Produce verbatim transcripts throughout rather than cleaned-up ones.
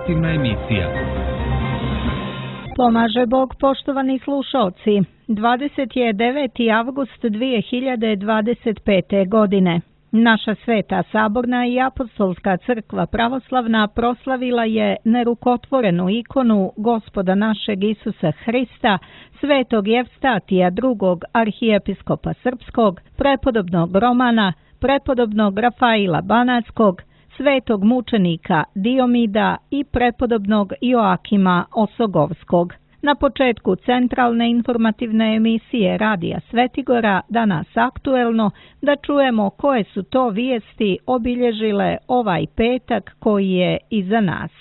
informativna emisija. Pomaže Bog, poštovani slušalci. dvadeset deveti avgust dvije hiljade dvadeset pete. godine. Naša sveta saborna i apostolska crkva pravoslavna proslavila je nerukotvorenu ikonu Gospoda našeg Isusa Hrista, svetog Jevstatija drugog arhijepiskopa srpskog, prepodobnog Romana, prepodobnog Rafaila Banatskog, svetog mučenika Diomida i prepodobnog Joakima Osogovskog. Na početku centralne informativne emisije Radija Svetigora, danas aktuelno, da čujemo koje su to vijesti obilježile ovaj petak koji je iza nas.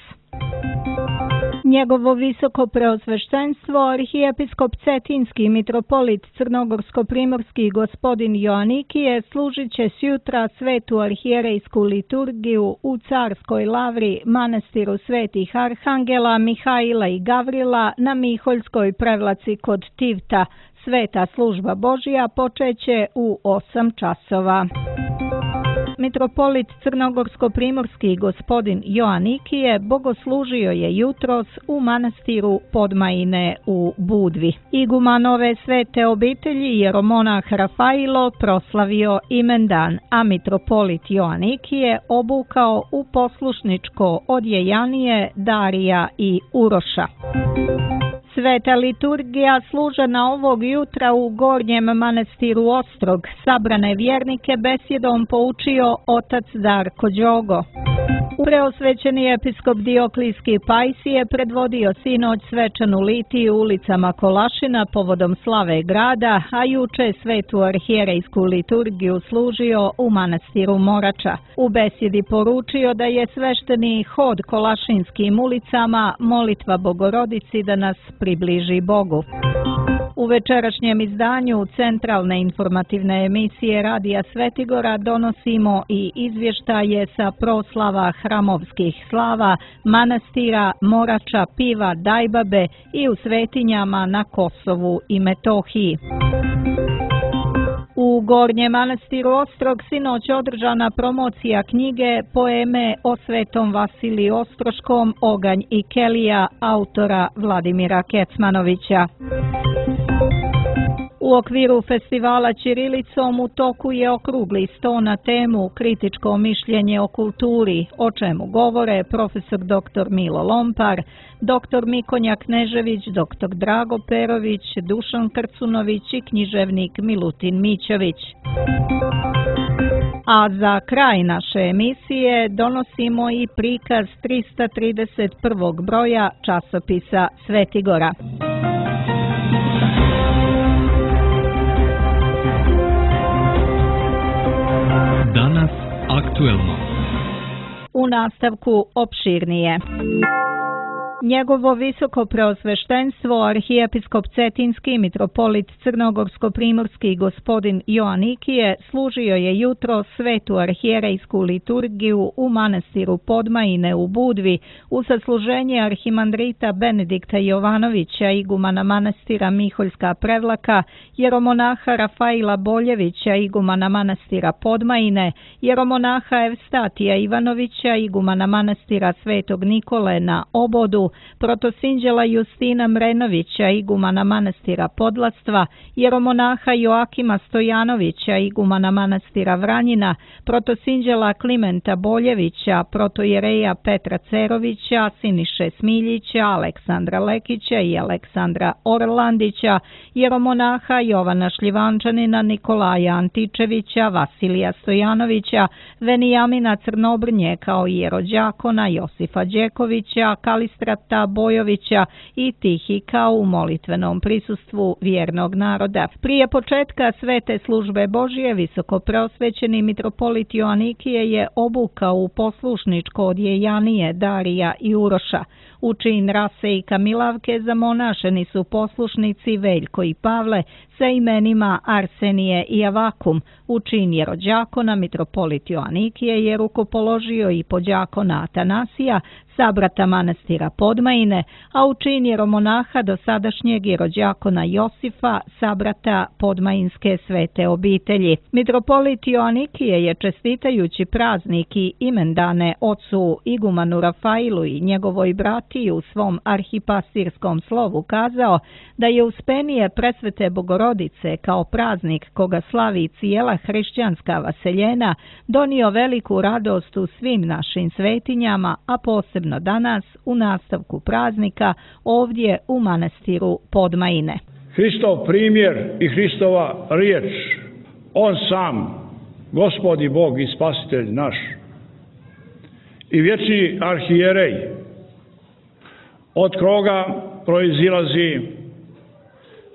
Njegovo visoko preosveštenstvo, arhijepiskop Cetinski mitropolit Crnogorsko-primorski gospodin Joanikije služit će sjutra svetu arhijerejsku liturgiju u Carskoj lavri manastiru svetih arhangela Mihaila i Gavrila na Miholjskoj prevlaci kod Tivta. Sveta služba Božja počeće u osam časova. Mitropolit Crnogorsko-primorski gospodin Joanikije bogoslužio je jutros u manastiru Podmajine u Budvi. Igumanove svete obitelji jeromonah Rafailo proslavio imendan, a mitropolit Joanikije obukao u poslušničko odjejanije Darija i Uroša. Sveta liturgija služena ovog jutra u Gornjem manastiru Ostrog. Sabrane vjernike besjedom poučio otac Darko Đogo. Preosvećeni episkop Dioklijski Pajsije predvodio sinoć svečanu litiju ulicama Kolašina povodom slave grada, a juče svetu arhijerejsku liturgiju služio u manastiru Morača. U besjedi poručio da je svešteni hod Kolašinskim ulicama molitva Bogorodici da nas približi Bogu. U večerašnjem izdanju centralne informativne emisije Radija Svetigora donosimo i izvještaje sa proslava hramovskih slava, manastira, Morača, Piva, Dajbabe i u svetinjama na Kosovu i Metohiji. U Gornjem manastiru Ostrog sinoć održana promocija knjige Poeme o svetom Vasiliju Ostroškom, Oganj i Kelija, autora Vladimira Kecmanovića. U okviru festivala Ćirilicom u toku je okrugli sto na temu Kritičko mišljenje o kulturi, o čemu govore profesor doktor Milo Lompar, doktor Mikonja Knežević, doktor Drago Perović, Dušan Krcunović i književnik Milutin Mićović. A za kraj naše emisije donosimo i prikaz trista trideset prvog broja časopisa Svetigora. Danas aktuelno. U nastavku opširnije. Njegovo visoko preosveštenstvo, arhijepiskop Cetinski mitropolit Crnogorsko-primorski gospodin Joanikije služio je jutro svetu arhijerejsku liturgiju u manastiru Podmajine u Budvi u sasluženje arhimandrita Benedikta Jovanovića, igumana manastira Miholjska prevlaka, jeromonaha Rafaila Boljevića, igumana manastira Podmajine, jeromonaha Evstatija Ivanovića, igumana manastira Svetog Nikole na Obodu, protosinđela Justina Mrenovića, igumana manastira Podlastva, jeromonaha Joakima Stojanovića, igumana manastira Vranjina, protosinđela Klimenta Boljevića, protojereja Petra Cerovića, Siniše Smiljića, Aleksandra Lekića i Aleksandra Orlandića, jeromonaha Jovana Šljivančanina, Nikolaja Antičevića, Vasilija Stojanovića, Venijamina Crnobrnje kao jerođakona, Josifa Đekovića, Kalistrata Bojovića i Tihika u molitvenom prisustvu vjernog naroda. Prije početka svete službe Božje visoko preosvećeni mitropolit Joanikije je obukao u poslušničko odjejanije Darija i Uroša. U čin Rase i Kamilavke zamonašeni su poslušnici Veljko i Pavle sa imenima Arsenije i Avakum. U čin jerođakona mitropolit Joanikije je rukopoložio i podjakona Atanasija, sabrata manastira Podmajine, a u čin jeromonaha dosadašnjeg jerođakona Josifa, sabrata Podmajinske svete obitelji. Mitropolit Joanikije je čestitajući praznik i imendane ocu igumanu Rafailu i njegovoj bratiji u svom arhipastirskom slovu kazao da je Uspenije presvete Bogorodice kao praznik koga slavi cijela hrišćanska vaseljena donio veliku radost u svim našim svetinjama, a posebno danas u nastavku praznika ovdje u manastiru Podmajine. Hristov primjer i Hristova riječ, on sam, Gospod i Bog i Spasitelj naš, i vječni arhijerej, od koga proizilazi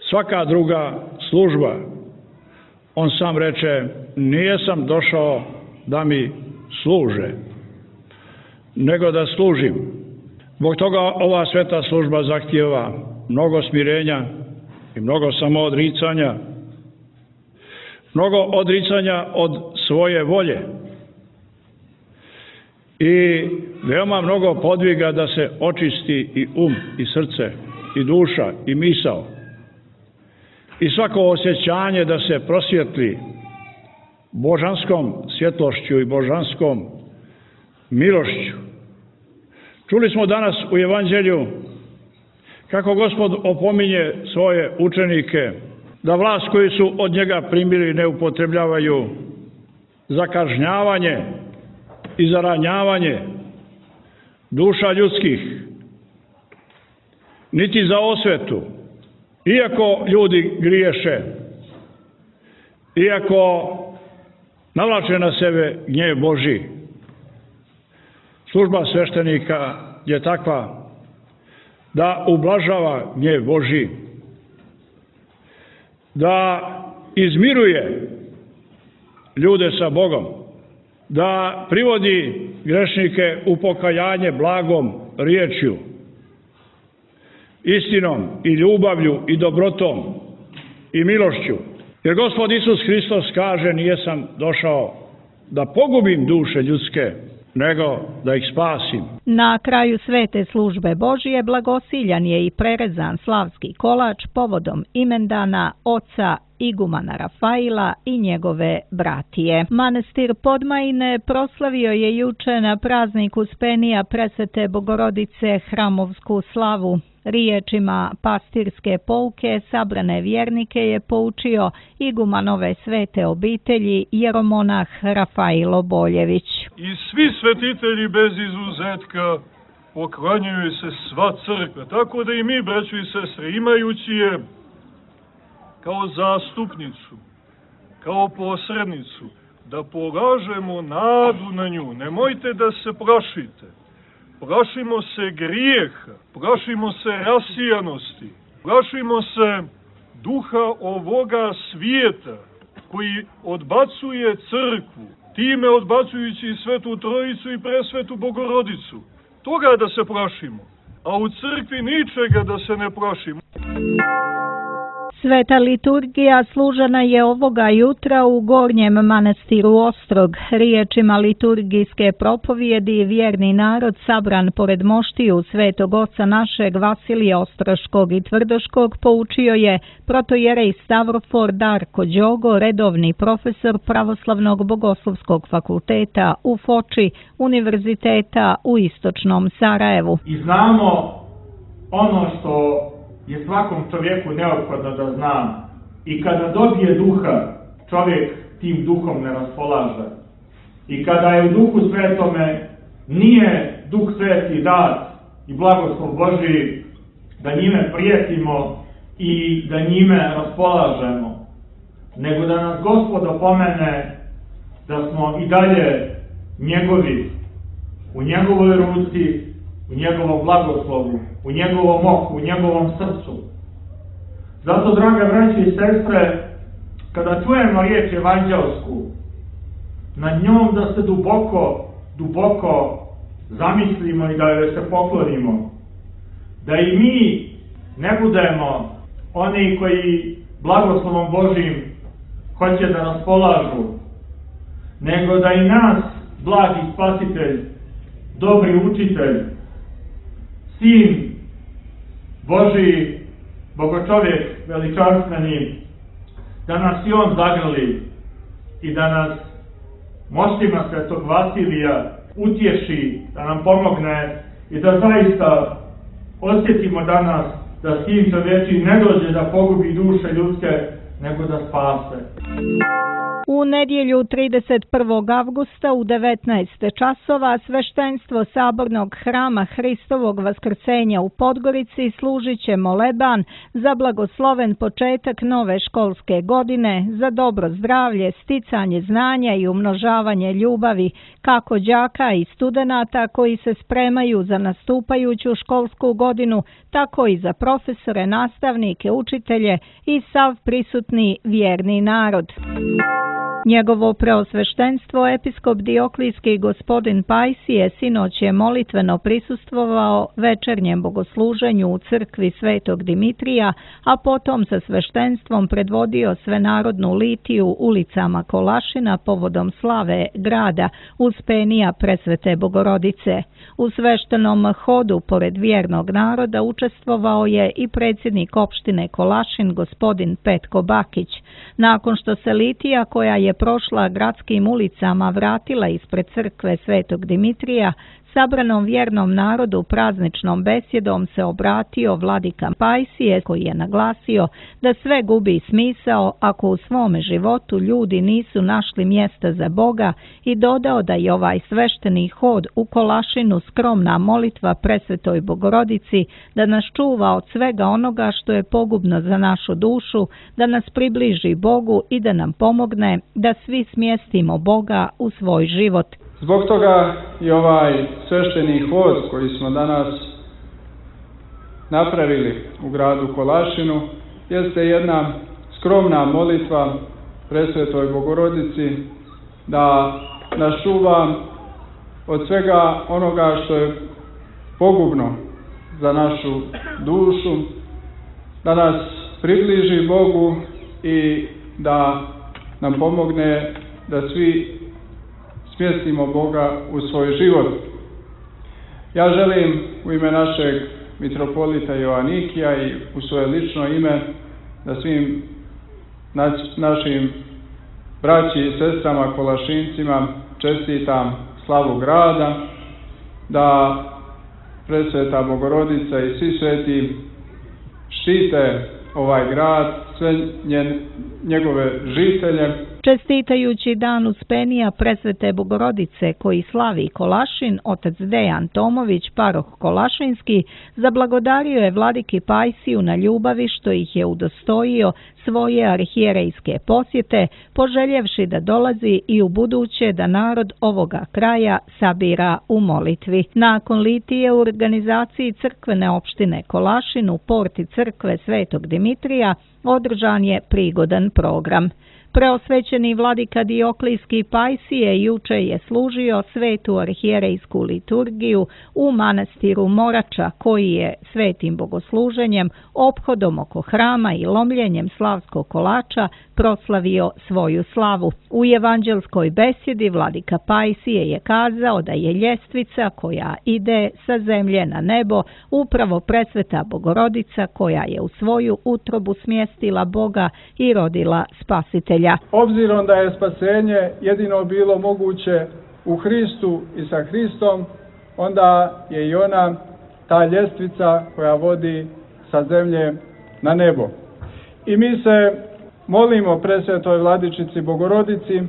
svaka druga služba. On sam reče, nijesam došao da mi služe, nego da služim. Zbog toga ova sveta služba zahtijeva mnogo smirenja i mnogo samoodricanja, mnogo odricanja od svoje volje i veoma mnogo podviga da se očisti i um, i srce, i duša, i misao, i svako osjećanje da se prosvjetli božanskom svjetlošću i božanskom milošću. Čuli smo danas u Evanđelju kako Gospod opominje svoje učenike da vlast koju su od njega primili ne upotrebljavaju za kažnjavanje i za ranjavanje duša ljudskih, niti za osvetu, iako ljudi griješe, iako navlače na sebe gnjev Božji. Služba sveštenika je takva da ublažava gnjev Božji, da izmiruje ljude sa Bogom, da privodi grešnike u pokajanje blagom riječju, istinom i ljubavlju i dobrotom i milošću. Jer Gospod Isus Hristos kaže, nijesam došao da pogubim duše ljudske, nego da ih spasim. Na kraju svete službe Božije blagosiljan je i prerezan slavski kolač povodom imendana oca igumana Rafaila i njegove bratije. Manastir Podmajine proslavio je juče na praznik Uspenija presvete Bogorodice hramovsku slavu. Riječima pastirske pouke sabrane vjernike je poučio igumanove svete obitelji jeromonah Rafailo Boljević. I svi svetitelji bez izuzetka poklanjaju se sva crkva, tako da i mi, braćo i sestre, imajući je kao zastupnicu, kao posrednicu, da polažemo nadu na nju. Nemojte da se plašite. Plašimo se grijeha, plašimo se rasijanosti, plašimo se duha ovoga svijeta koji odbacuje crkvu, time odbacujući i Svetu Trojicu i Presvetu Bogorodicu. Toga da se plašimo, a u crkvi ničega da se ne plašimo. Sveta liturgija služena je ovoga jutra u Gornjem manastiru Ostrog. Riječima liturgijske propovijedi vjerni narod sabran pored moštiju svetog oca našeg Vasilija Ostroškog i Tvrdoškog poučio je protojerej Stavrofor Darko Đogo, redovni profesor Pravoslavnog bogoslovskog fakulteta u Foči, Univerziteta u Istočnom Sarajevu. I znamo ono što je svakom čovjeku neophodno da zna. I kada dobije duha, čovjek tim duhom ne raspolaže. I kada je u duhu svetome, nije duh sveti dat i blagoslov Božji da njime prijetimo i da njime raspolažemo, nego da nas Gospod opomene da smo i dalje njegovi, u njegovoj ruci, u njegovom blagoslovu, u njegovom oku, u njegovom srcu. Zato, draga braće i sestre, kada čujemo riječ evanđelsku, nad njom da se duboko, duboko zamislimo i da joj se poklonimo. da i mi ne budemo oni koji blagoslovom Božim hoće da nas polažu, nego da i nas blagi spasitelj, dobri učitelj, sin Božiji, bogočovjek veličanstveni, da nas i on zagrli i da nas moćima Svetog Vasilija utješi, da nam pomogne i da zaista osjetimo danas da sin čovječiji ne dođe da pogubi duše ljudske, nego da spase. U nedjelju trideset prvog avgusta u devetnaest časova sveštenstvo Sabornog hrama Hristovog vaskrsenja u Podgorici služit će moleban za blagosloven početak nove školske godine, za dobro zdravlje, sticanje znanja i umnožavanje ljubavi kako đaka i studenata koji se spremaju za nastupajuću školsku godinu, tako i za profesore, nastavnike, učitelje i sav prisutni vjerni narod. Njegovo preosveštenstvo episkop Dioklijski gospodin Pajsije sinoć je molitveno prisustvovao večernjem bogosluženju u crkvi Svetog Dimitrija, a potom sa sveštenstvom predvodio svenarodnu litiju ulicama Kolašina povodom slave grada Uspenija Presvete Bogorodice. U sveštenom hodu pored vjernog naroda učestvovao je i predsjednik opštine Kolašin gospodin Petko Bakić. Nakon što se litija koja je prošla gradskim ulicama vratila ispred crkve Svetog Dimitrija, sabranom vjernom narodu prazničnom besjedom se obratio vladika Pajsije koji je naglasio da sve gubi smisao ako u svome životu ljudi nisu našli mjesta za Boga i dodao da je ovaj svešteni hod u Kolašinu skromna molitva Presvetoj Bogorodici da nas čuva od svega onoga što je pogubno za našu dušu, da nas približi Bogu i da nam pomogne da svi smjestimo Boga u svoj život. Zbog toga i ovaj svešteni hod koji smo danas napravili u gradu Kolašinu jeste jedna skromna molitva Presvetoj Bogorodici da nas čuva od svega onoga što je pogubno za našu dušu, da nas približi Bogu i da nam pomogne da svi smjestimo Boga u svoj život. Ja želim u ime našeg mitropolita Joanikija i u svoje lično ime da svim našim braći i sestrama Kolašincima čestitam slavu grada, da Presveta Bogorodica i svi sveti štite ovaj grad, sve njen, njegove žitelje. Čestitajući dan Uspenija Presvete Bogorodice koji slavi Kolašin, otac Dejan Tomović, paroh Kolašinski, zablagodario je vladiki Pajsiju na ljubavi što ih je udostojio svoje arhijerejske posjete, poželjevši da dolazi i u buduće da narod ovoga kraja sabira u molitvi. Nakon litije u organizaciji crkvene opštine Kolašin u porti crkve Svetog Dimitrija održan je prigodan program. Preosvećeni vladika Dioklijski Pajsije juče je služio svetu arhijerejsku liturgiju u manastiru Morača, koji je svetim bogosluženjem, ophodom oko hrama i lomljenjem slavskog kolača proslavio svoju slavu. U evanđelskoj besjedi vladika Pajsije je kazao da je ljestvica koja ide sa zemlje na nebo upravo Presveta Bogorodica koja je u svoju utrobu smjestila Boga i rodila Spasitelja. Obzirom da je spasenje jedino bilo moguće u Hristu i sa Hristom, onda je i ona ta ljestvica koja vodi sa zemlje na nebo. I mi se molimo Presvetoj Vladičici Bogorodici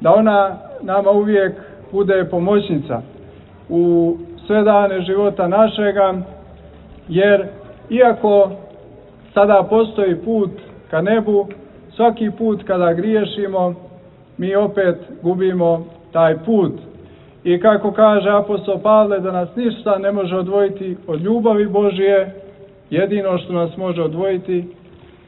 da ona nama uvijek bude pomoćnica u sve dane života našega, jer iako sada postoji put ka nebu, svaki put kada griješimo, mi opet gubimo taj put. I kako kaže apostol Pavle, da nas ništa ne može odvojiti od ljubavi Božije, jedino što nas može odvojiti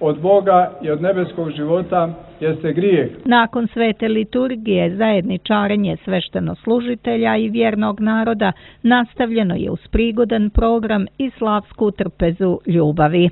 od Boga i od nebeskog života jeste grijeh. Nakon svete liturgije, zajedničarenje sveštenoslужitelja i vjernog naroda nastavljeno je uz prigodan program i slavsku trpezu ljubavi.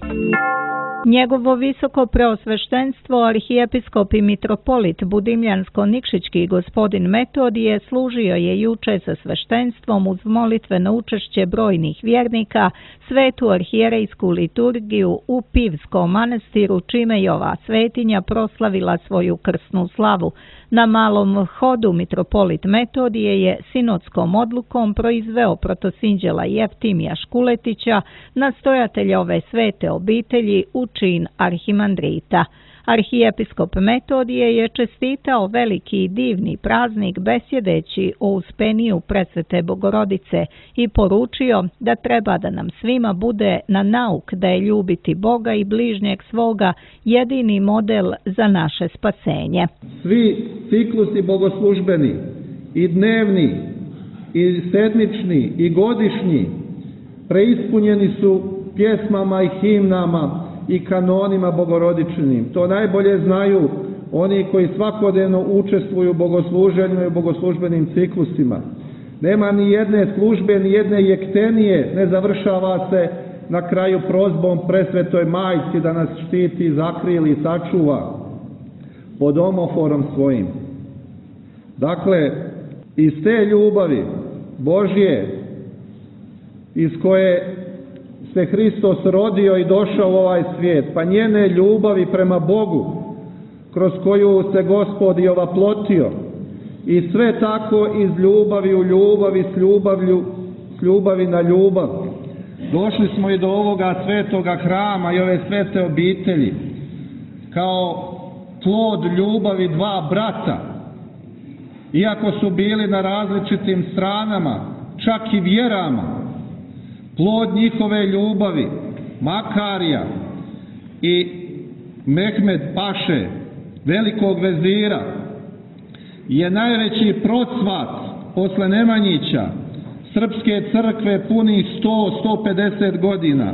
Njegovo visoko preosveštenstvo arhijepiskop i mitropolit Budimljansko-Nikšićki gospodin Metodije služio je juče sa sveštenstvom uz molitveno učešće brojnih vjernika svetu arhijerejsku liturgiju u Pivskom manastiru, čime je ova svetinja proslavila svoju krsnu slavu. Na malom hodu mitropolit Metodije je sinodskom odlukom proizveo protosinđela Jeftimija Škuletića, nastojatelja ove svete obitelji, u čin arhimandrita. Arhijepiskop Metodije je čestitao veliki i divni praznik besjedeći o uspeniju presvete Bogorodice i poručio da treba da nam svima bude na nauk da je ljubiti Boga i bližnjeg svoga jedini model za naše spasenje. Svi ciklusi bogoslužbeni, i dnevni, i sedmični, i godišnji, preispunjeni su pjesmama i himnama i kanonima bogorodičnim. To najbolje znaju oni koji svakodnevno učestvuju u bogosluženju i u bogoslužbenim ciklusima. Nema ni jedne službe, ni jedne jektenije ne završava se na kraju prozbom presvetoj majci da nas štiti, zakrili i sačuva pod omoforom svojim. Dakle, iz te ljubavi Božje, iz koje se Hristos rodio i došao u ovaj svijet, pa njene ljubavi prema Bogu, kroz koju se Gospod i ovaplotio, i sve tako iz ljubavi u ljubavi, s ljubavlju, s ljubavi na ljubav. Došli smo i do ovoga svetoga hrama i ove svete obitelji, kao plod ljubavi dva brata, iako su bili na različitim stranama, čak i vjerama. Plod njihove ljubavi, Makarija i Mehmed Paše, velikog vezira, je najveći procvat posle Nemanjića srpske crkve punih sto do sto pedeset godina.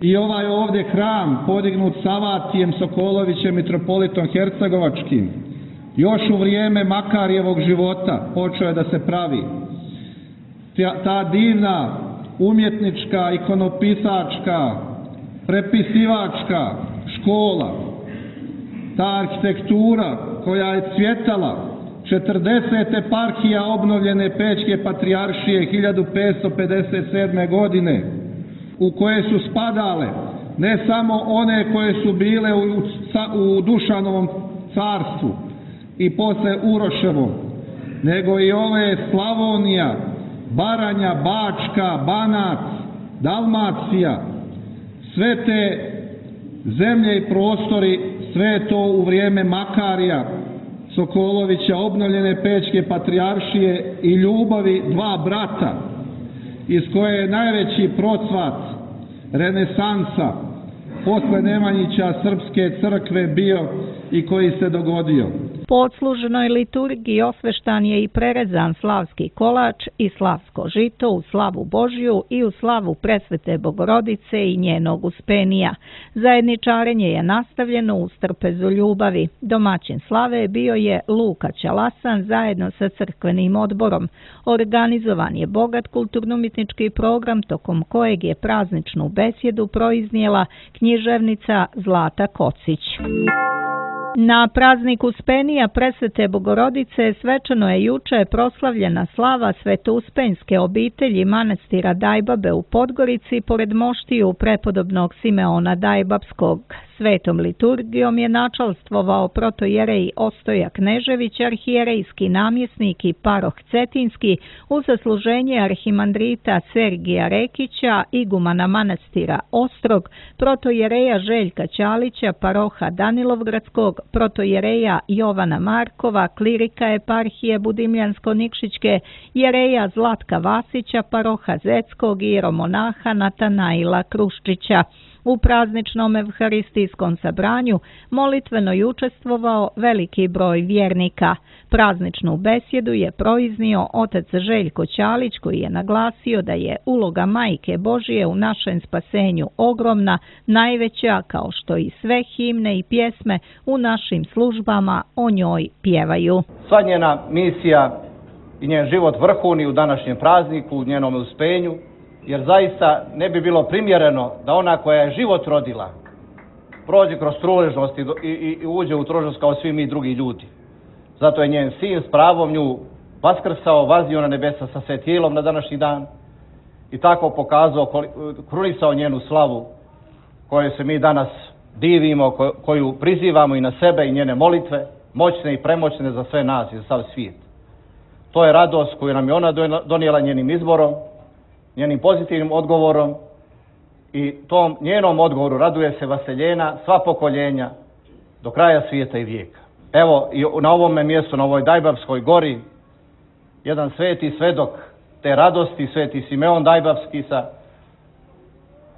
I ovaj ovdje hram, podignut Savatijem Sokolovićem, mitropolitom Hercegovačkim, još u vrijeme Makarijevog života počeo je da se pravi. Ta, ta divna umjetnička, ikonopisačka, prepisivačka škola, ta arhitektura koja je cvjetala, četrdeset eparhija obnovljene Pećke patrijaršije hiljadu petsto pedeset sedme. godine, u koje su spadale ne samo one koje su bile u, u Dušanovom carstvu i posle Uroševom, nego i ove Slavonija, Baranja, Bačka, Banat, Dalmacija, sve te zemlje i prostori, sve to u vrijeme Makarija Sokolovića, obnovljene Pećke patrijaršije i ljubavi dva brata, iz koje je najveći procvat renesansa posle Nemanjića srpske crkve bio i koji se dogodio. Po odsluženoj liturgiji osveštan je i prerezan slavski kolač i slavsko žito u slavu Božju i u slavu presvete Bogorodice i njenog uspenija. Zajedničarenje je nastavljeno uz trpezu ljubavi. Domaćin slave bio je Luka Ćalasan zajedno sa crkvenim odborom. Organizovan je bogat kulturno-umjetnički program tokom kojeg je prazničnu besjedu proiznijela književnica Zlata Kocić. Na praznik Uspenija presvete Bogorodice svečano je juče proslavljena slava svetouspenjske obitelji manastira Dajbabe u Podgorici pored moštiju prepodobnog Simeona Dajbapskog. Svetom liturgijom je načalstvovao protojerej Ostoja Knežević, arhijerejski namjesnik i paroh Cetinski, u zasluženje arhimandrita Sergija Rekića, igumana manastira Ostrog, protojereja Željka Ćalića, paroha Danilovgradskog, protojereja Jovana Markova, klirika eparhije Budimljansko-Nikšićke, jereja Zlatka Vasića, paroha Zeckog i jeromonaha Natanaila Kruščića. U prazničnom evharistijskom sabranju molitveno je učestvovao veliki broj vjernika. Prazničnu besjedu je proiznio otac Željko Ćalić, koji je naglasio da je uloga Majke Božije u našem spasenju ogromna, najveća, kao što i sve himne i pjesme u našim službama o njoj pjevaju. Sva njena misija i njen život vrhuni u današnjem prazniku, u njenom uspenju, jer zaista ne bi bilo primjereno da ona koja je život rodila prođe kroz truležnost i, i, i uđe u truležnost kao svi mi drugi ljudi. Zato je njen sin s pravom nju vaskrsao, vaznio na nebesa sa svetijelom na današnji dan i tako pokazao, krunisao njenu slavu koju se mi danas divimo, koju prizivamo i na sebe i njene molitve, moćne i premoćne za sve nas i za sav svijet. To je radost koju nam je ona donijela njenim izborom, njenim pozitivnim odgovorom i tom njenom odgovoru raduje se vaseljena sva pokoljenja do kraja svijeta i vijeka. Evo i na ovome mjestu, na ovoj Dajbavskoj gori, jedan sveti svedok te radosti, sveti Simeon Dajbavski sa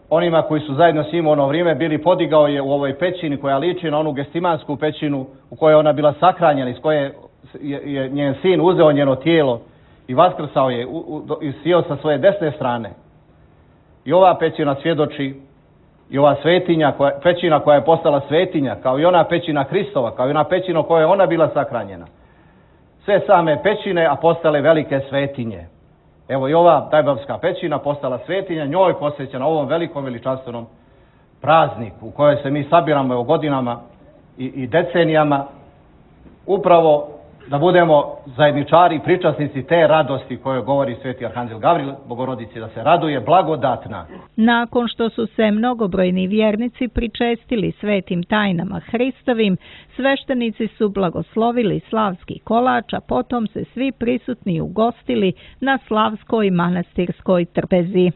onima koji su zajedno s njim u ono vrijeme bili, podigao je u ovoj pećini koja liči na onu gestimansku pećinu u kojoj ona bila sahranjena, iz koje je, je njen sin uzeo njeno tijelo i vaskrsao je i sjeo sa svoje desne strane. I ova pećina svjedoči, i ova svetinja, koja, pećina koja je postala svetinja, kao i ona pećina Hristova, kao i ona pećina u kojoj je ona bila sahranjena. Sve same pećine, a postale velike svetinje. Evo i ova Dajbavska pećina postala svetinja, njoj posvećena ovom velikom veličanstvenom prazniku u kojoj se mi sabiramo evo godinama i, i decenijama, upravo da budemo zajedničari i pričasnici te radosti koje govori sveti arhanđel Gavril Bogorodici, da se raduje blagodatna. Nakon što su se mnogobrojni vjernici pričestili svetim tajnama Hristovim, sveštenici su blagoslovili slavski kolač, a potom se svi prisutni ugostili na slavskoj manastirskoj trpezi.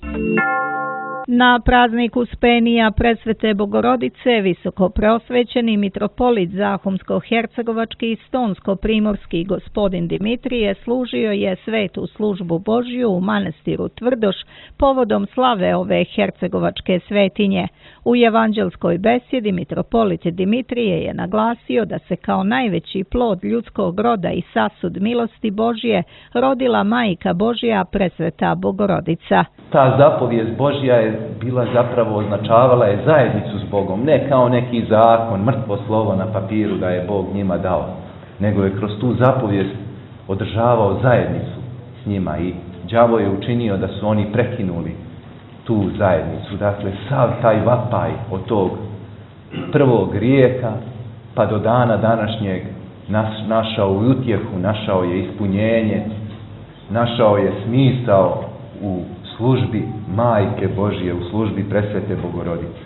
Na praznik Uspenija Presvete Bogorodice visoko preosvećeni mitropolit Zahumsko-hercegovački i Stonsko-primorski gospodin Dimitrije služio je svetu službu Božju u manastiru Tvrdoš povodom slave ove hercegovačke svetinje. U evanđelskoj besjedi mitropolit Dimitrije je naglasio da se kao najveći plod ljudskog roda i sasud milosti Božje rodila Majka Božja Presveta Bogorodica. Ta zapovijest Božja je bila zapravo, označavala je zajednicu s Bogom, ne kao neki zakon, mrtvo slovo na papiru da je Bog njima dao, nego je kroz tu zapovijest održavao zajednicu s njima i đavo je učinio da su oni prekinuli tu zajednicu. Dakle, sav taj vapaj od tog prvog grijeha pa do dana današnjeg nas, našao u utjehu, našao je ispunjenje, našao je smisao u službi Majke Božje, u službi Presvete Bogorodice.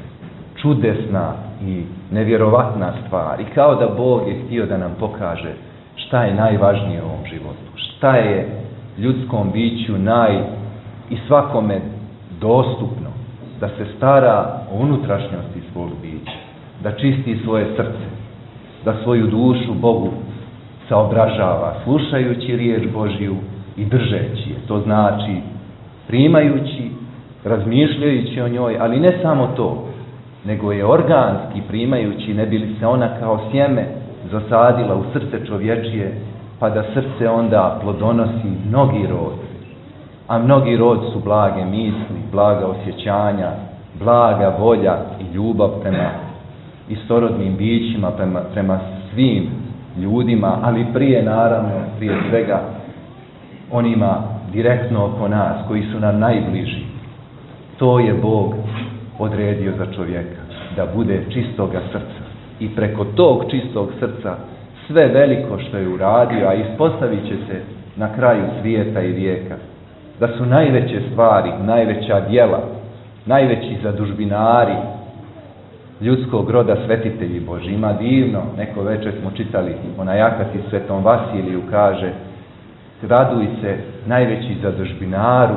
Čudesna i nevjerovatna stvar. I kao da Bog je htio da nam pokaže šta je najvažnije u ovom životu. Šta je ljudskom biću naj i svakome dostupno. Da se stara o unutrašnjosti svog bića. Da čisti svoje srce. Da svoju dušu Bogu saobražava slušajući riječ Božju i držeći je. To znači primajući, razmišljajući o njoj, ali ne samo to, nego je organski primajući, ne bi li se ona kao sjeme zasadila u srce čovječije, pa da srce onda plodonosi mnogi rod. A mnogi rod su blage misli, blaga osjećanja, blaga volja i ljubav prema istorodnim bićima, prema, prema svim ljudima, ali prije naravno, prije svega onima direktno oko nas, koji su nam najbliži. To je Bog odredio za čovjeka, da bude čistoga srca. I preko tog čistog srca sve veliko što je uradio, a ispostavit će se na kraju svijeta i vijeka, da su najveće stvari, najveća djela, najveći zadužbinari ljudskog roda svetitelji Božji. Ima divno, neko večer smo čitali onaj akati Svetom Vasiliju, kaže: raduj se najveći zadužbinaru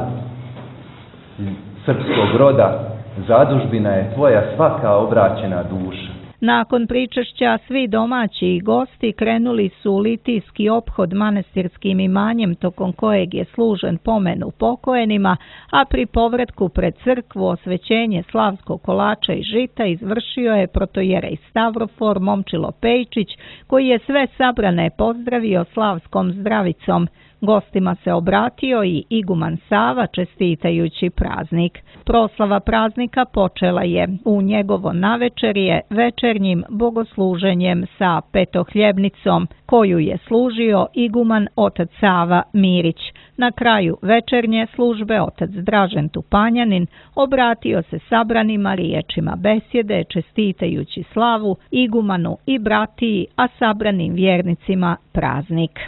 srpskog roda, zadužbina je tvoja svaka obraćena duša. Nakon pričešća svi domaći i gosti krenuli su u litijski ophod manastirskim imanjem tokom kojeg je služen pomen upokojenima, a pri povratku pred crkvu osvećenje slavskog kolača i žita izvršio je protojerej Stavrofor Momčilo Pejčić, koji je sve sabrane pozdravio slavskom zdravicom. Gostima se obratio i iguman Sava čestitajući praznik. Proslava praznika počela je u njegovo navečerje večernjim bogosluženjem sa petohljebnicom, koju je služio iguman otac Sava Mirić. Na kraju večernje službe otac Dražen Tupanjanin obratio se sabranima riječima besjede čestitajući slavu igumanu i bratiji, a sabranim vjernicima praznik.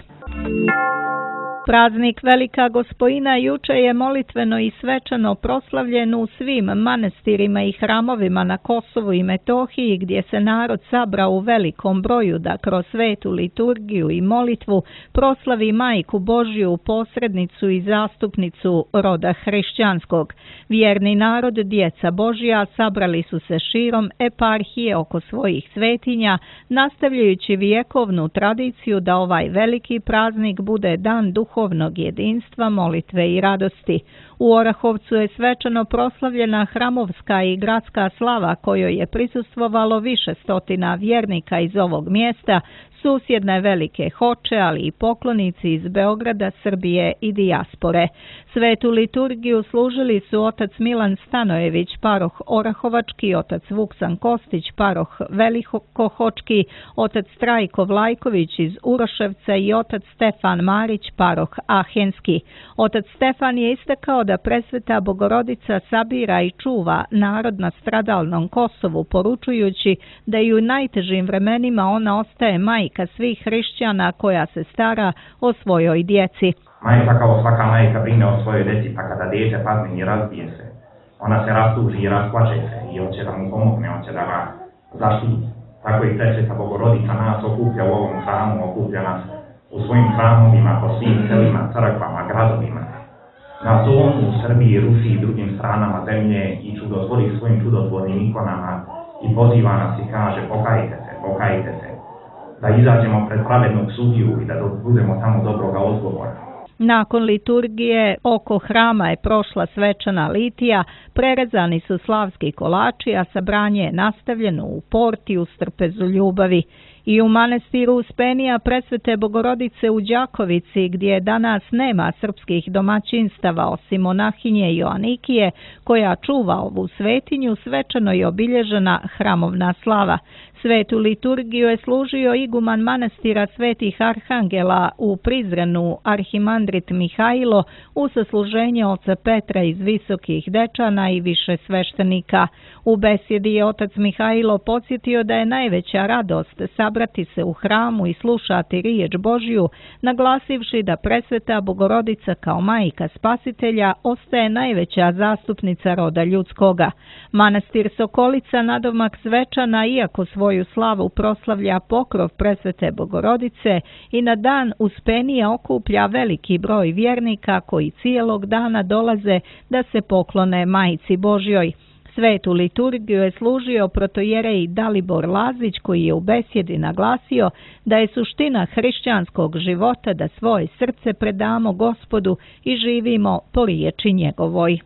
Praznik Velika Gospojina juče je molitveno i svečano proslavljen u svim manastirima i hramovima na Kosovu i Metohiji, gdje se narod sabrao u velikom broju da kroz svetu liturgiju i molitvu proslavi Majku Božju, posrednicu i zastupnicu roda hrišćanskog. Vjerni narod, djeca Božja, sabrali su se širom eparhije oko svojih svetinja, nastavljajući vjekovnu tradiciju da ovaj veliki praznik bude dan duhovnog duhovnog jedinstva, molitve i radosti. U Orahovcu je svečano proslavljena hramovska i gradska slava kojoj je prisustvovalo više stotina vjernika iz ovog mjesta, susjedne Velike Hoče, ali i poklonici iz Beograda, Srbije i dijaspore. Svetu liturgiju služili su otac Milan Stanojević, paroh Orahovački, otac Vuksan Kostić, paroh Velikohočki, otac Trajko Vlajković iz Uroševca i otac Stefan Marić, paroh Ahenski. Otac Stefan je istakao da presveta Bogorodica sabira i čuva narod na stradalnom Kosovu, poručujući da i u najtežim vremenima ona ostaje majka svih hrišćana koja se stara o svojoj djeci. Majka kao svaka majka brine o svojoj djeci, pa kada dijete padne i razbije se, ona se rastuži i rasplače se i hoće da mu pomogne, hoće da ga zaštiti. Tako i presveta Bogorodica nas okuplja u ovom hramu, okuplja nas u svojim hramovima, po svim selima, crkvama, gradovima. Na Zonu, u Srbiji, Rusiji i drugim stranama zemlje i čudotvori svojim čudotvornim ikonama i poziva nas i kaže pokajte se, pokajte se, da izađemo pred pravednog sudiju i da budemo tamo dobroga odgovora. Nakon liturgije oko hrama je prošla svečana litija, prerezani su slavski kolači, a sabranje je nastavljeno u porti u strpezu ljubavi. I u manastiru Uspenija presvete Bogorodice u Đakovici, gdje danas nema srpskih domaćinstava osim monahinje Joanikije, koja čuva ovu svetinju, svečano je obilježena hramovna slava. Svetu liturgiju je služio iguman manastira Svetih Arhangela u Prizrenu, arhimandrit Mihajlo, u sasluženje oca Petra iz Visokih Dečana i više sveštenika. U besjedi je otac Mihajlo podsjetio da je najveća radost sabrati se u hramu i slušati riječ Božju, naglasivši da presveta Bogorodica kao majka spasitelja ostaje najveća zastupnica roda ljudskoga. Manastir Sokolica nadomak svečana, iako svoju slavu proslavlja pokrov presvete Bogorodice, i na dan Uspenija okuplja veliki broj vjernika koji cijelog dana dolaze da se poklone Majci Božjoj. Svetu liturgiju je služio protojerej Dalibor Lazić, koji je u besjedi naglasio da je suština hrišćanskog života da svoje srce predamo Gospodu i živimo po riječi njegovoj.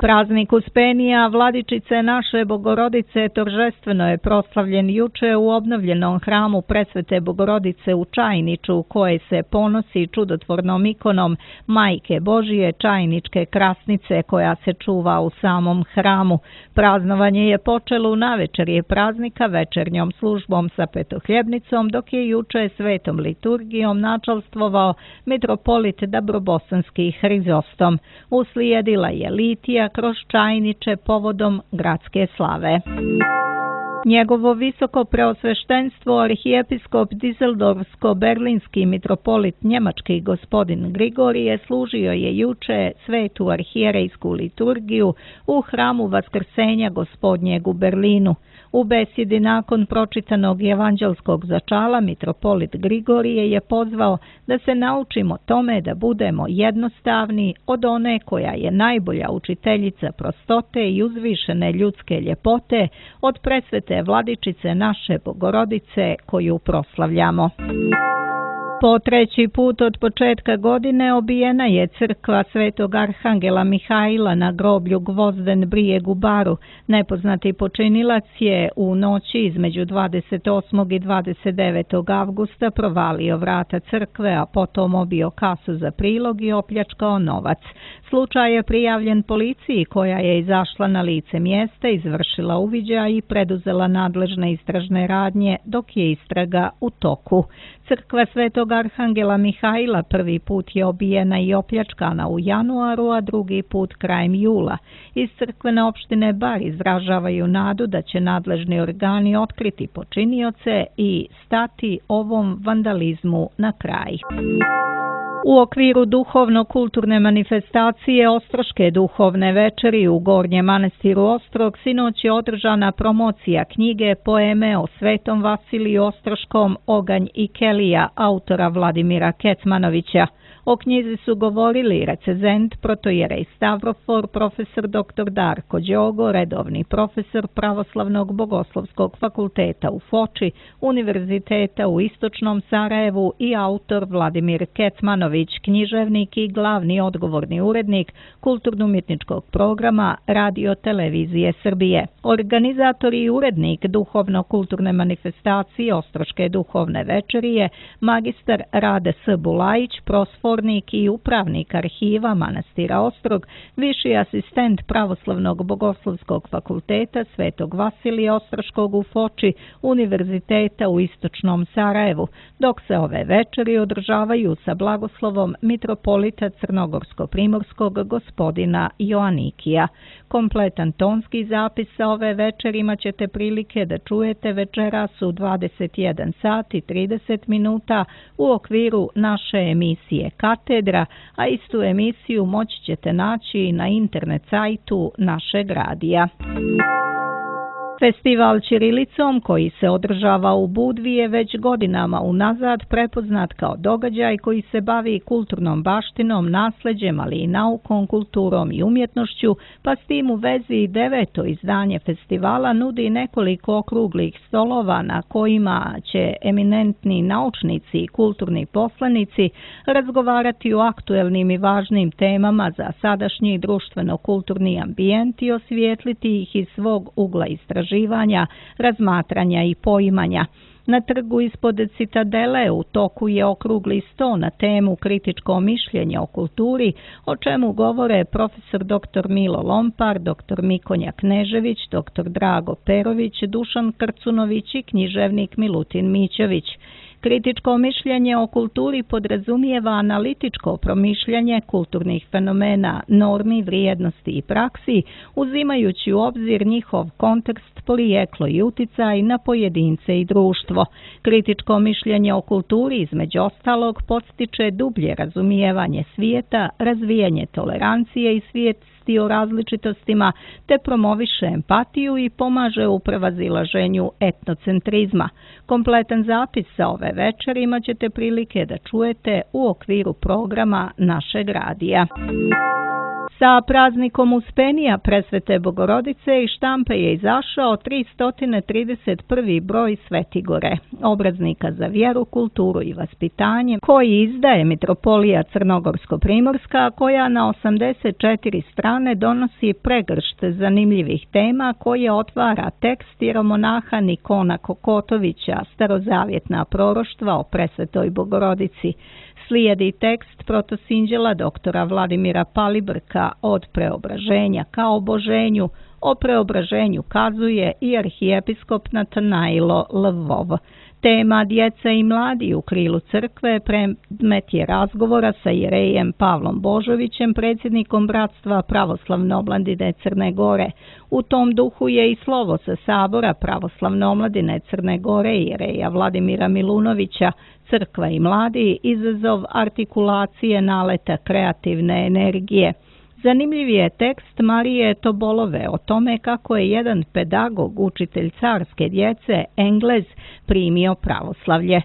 Praznik Uspenija, Vladičice naše Bogorodice, торжествено je proslavljen juče u obnovljenom hramu presvete Bogorodice u Čajniču, koje se ponosi čudotvornom ikonom Majke Božije Čajničke krasnice, koja se čuva u samom hramu. Praznovanje je počelo u navečerje praznika večernjom službom sa petohljebnicom, dok je juče svetom liturgijom načalstvovao mitropolit Dabrobosanski Hrizostom. Uslijedila je litija kroz Čajniče povodom gradske slave. Njegovo visoko preosveštenstvo arhijepiskop Dizeldorfsko-berlinski mitropolit njemački gospodin Grigorije služio je juče svetu arhijerejsku liturgiju u hramu Vaskrsenja Gospodnjeg u Berlinu. U besjedi nakon pročitanog evanđelskog začala mitropolit Grigorije je pozvao da se naučimo tome da budemo jednostavni od one koja je najbolja učiteljica prostote i uzvišene ljudske ljepote, od presvete Presvete Vladičice naše Bogorodice koju proslavljamo. Po treći put od početka godine obijena je crkva Svetog Arhangela Mihajla na groblju Gvozden Brijeg u Baru. Nepoznati počinilac je u noći između dvadeset osmog i dvadeset devetog avgusta provalio vrata crkve, a potom obio kasu za prilog i opljačkao novac. Slučaj je prijavljen policiji koja je izašla na lice mjesta, izvršila uviđaj i preduzela nadležne istražne radnje dok je istraga u toku. Crkva Svetog Arhangela Mihajla prvi put je obijena i opljačkana u januaru, a drugi put krajem jula. Iz crkvene opštine Bar izražavaju nadu da će nadležni organi otkriti počinioce i stati ovom vandalizmu na kraj. U okviru duhovno-kulturne manifestacije Ostroške duhovne večeri u Gornjem manastiru Ostrog sinoć je održana promocija knjige Poeme o Svetom Vasiliju Ostroškom Oganj i Kelija autora Vladimira Kecmanovića. O knjizi su govorili recenzent protojerej Stavrofor, profesor doktor Darko Đogo, redovni profesor Pravoslavnog bogoslovskog fakulteta u Foči, Univerziteta u Istočnom Sarajevu i autor Vladimir Kecmanović, književnik i glavni odgovorni urednik kulturno-umjetničkog programa Radio Televizije Srbije. Organizator i urednik duhovno-kulturne manifestacije Ostroške duhovne večeri je magistar Rade S. Bulajić, prosfor i upravnik arhiva manastira Ostrog, viši asistent Pravoslavnog bogoslovskog fakulteta Svetog Vasilija Ostroškog u Foči, Univerziteta u Istočnom Sarajevu, dok se ove večeri održavaju sa blagoslovom mitropolita Crnogorsko-primorskog gospodina Joanikija. Kompletan tonski zapis sa ove večeri imat ćete prilike da čujete večeras u dvadeset jedan sat i trideset minuta u okviru naše emisije Katedra, a istu emisiju moći ćete naći na internet sajtu našeg radija. Festival ćirilicom koji se održava u Budvi je već godinama unazad prepoznat kao događaj koji se bavi kulturnom baštinom, nasleđem, ali i naukom, kulturom i umjetnošću, pa s tim u vezi i deveto izdanje festivala nudi nekoliko okruglih stolova na kojima će eminentni naučnici i kulturni poslanici razgovarati o aktuelnim i važnim temama za sadašnji društveno-kulturni ambijent i osvijetliti ih iz svog ugla istraživanja, razmatranja i poimanja. Na trgu ispod Citadele u toku je okrugli sto na temu kritičko mišljenje o kulturi, o čemu govore profesor doktor Milo Lompar, doktor Mikonja Knežević, doktor Drago Perović, Dušan Krcunović i književnik Milutin Mićević. Kritičko mišljenje o kulturi podrazumijeva analitičko promišljanje kulturnih fenomena, normi, vrijednosti i praksi, uzimajući u obzir njihov kontekst, porijeklo i uticaj na pojedince i društvo. Kritičko mišljenje o kulturi, između ostalog, podstiče dublje razumijevanje svijeta, razvijanje tolerancije i svijesti o različitostima, te promoviše empatiju i pomaže u prevazilaženju etnocentrizma. Kompletan zapis sa ove večeri imat ćete prilike da čujete u okviru programa našeg radija. Sa praznikom Uspenija Presvete Bogorodice iz štampe je izašao tristo trideset prvi broj Svetigore, obraznika za vjeru, kulturu i vaspitanje, koji izdaje Mitropolija Crnogorsko-primorska, koja na osamdeset četiri strane donosi pregršt zanimljivih tema koje otvara tekst jeromonaha Nikona Kokotovića, starozavjetna proroštva o Presvetoj Bogorodici. Slijedi tekst protosinđela doktora Vladimira Palibrka Od preobraženja ka oboženju. O preobraženju kazuje i arhijepiskop Natanailo Lvov. Tema djeca i mladi u krilu crkve predmet je razgovora sa jerejem Pavlom Božovićem, predsjednikom Bratstva pravoslavne omladine Crne Gore. U tom duhu je i slovo sa sabora pravoslavne omladine Crne Gore jereja Vladimira Milunovića, Crkva i mladi, izazov artikulacije naleta kreativne energije. Zanimljiv je tekst Marije Tobolove o tome kako je jedan pedagog, učitelj carske djece, Englez, primio pravoslavlje.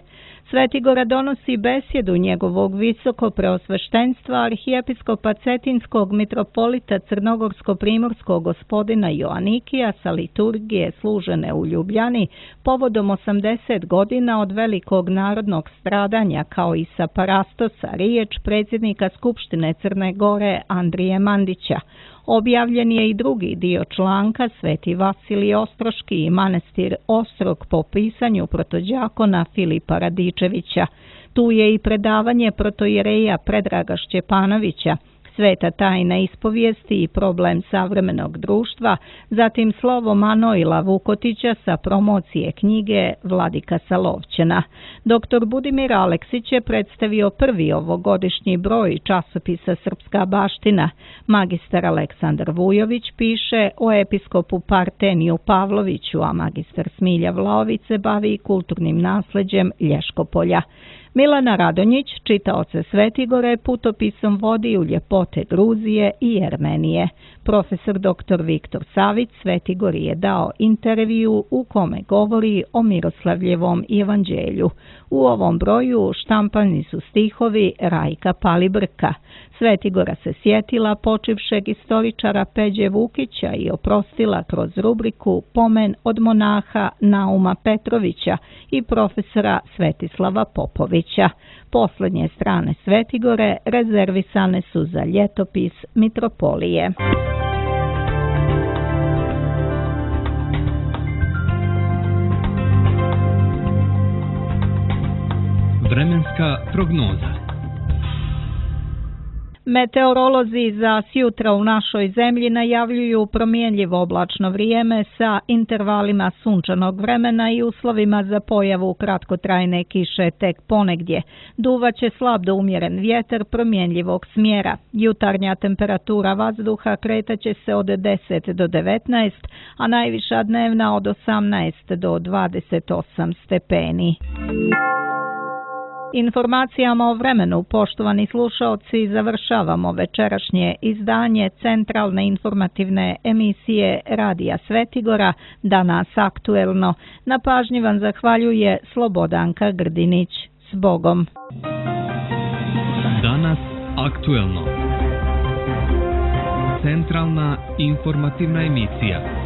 Svetigora donosi besjedu njegovog visoko preosveštenstva arhijepiskopa Cetinskog mitropolita Crnogorsko-primorskog gospodina Joanikija sa liturgije služene u Ljubljani povodom osamdeset godina od velikog narodnog stradanja, kao i sa parastosa riječ predsjednika Skupštine Crne Gore Andrije Mandića. Objavljen je i drugi dio članka Sveti Vasilij Ostroški i manastir Ostrog po pisanju protođakona Filipa Radičevića. Tu je i predavanje protoijereja Predraga Šćepanovića, Sveta tajna ispovijesti i problem savremenog društva, zatim slovo Manojla Vukotića sa promocije knjige Vladika Salovćena. Doktor Budimir Aleksić je predstavio prvi ovogodišnji broj časopisa Srpska baština. Magistar Aleksandar Vujović piše o episkopu Parteniju Pavloviću, a magistar Smilja Vlaović se bavi kulturnim nasleđem Lješkopolja. Milana Radonjić, čitaoce Svetigore, putopisom vodi u ljepote Gruzije i Jermenije. Profesor doktor Viktor Savić Svetigori je dao intervju u kome govori o Miroslavljevom evanđelju. U ovom broju štampani su stihovi Rajka Palibrka. Svetigora se sjetila počivšeg istoričara Peđe Vukića i oprostila kroz rubriku Pomen od monaha Nauma Petrovića i profesora Svetislava Popovića. Posljednje strane Svetigore rezervisane su za ljetopis Mitropolije. Vremenska prognoza. Meteorolozi za sjutra u našoj zemlji najavljuju promjenjivo oblačno vrijeme sa intervalima sunčanog vremena i uslovima za pojavu kratkotrajne kiše tek ponegdje. Duvaće slab do umjeren vjetar promjenjivog smjera. Jutarnja temperatura vazduha kretaće se od deset do devetnaest, a najviša dnevna od osamnaest do dvadeset osam stepeni. Informacijama o vremenu, poštovani slušaoci, završavamo večerašnje izdanje centralne informativne emisije Radija Svetigora, Danas aktuelno. Na pažnji vam zahvaljuje Slobodanka Grdinić. S Bogom! Danas aktuelno. Centralna informativna emisija.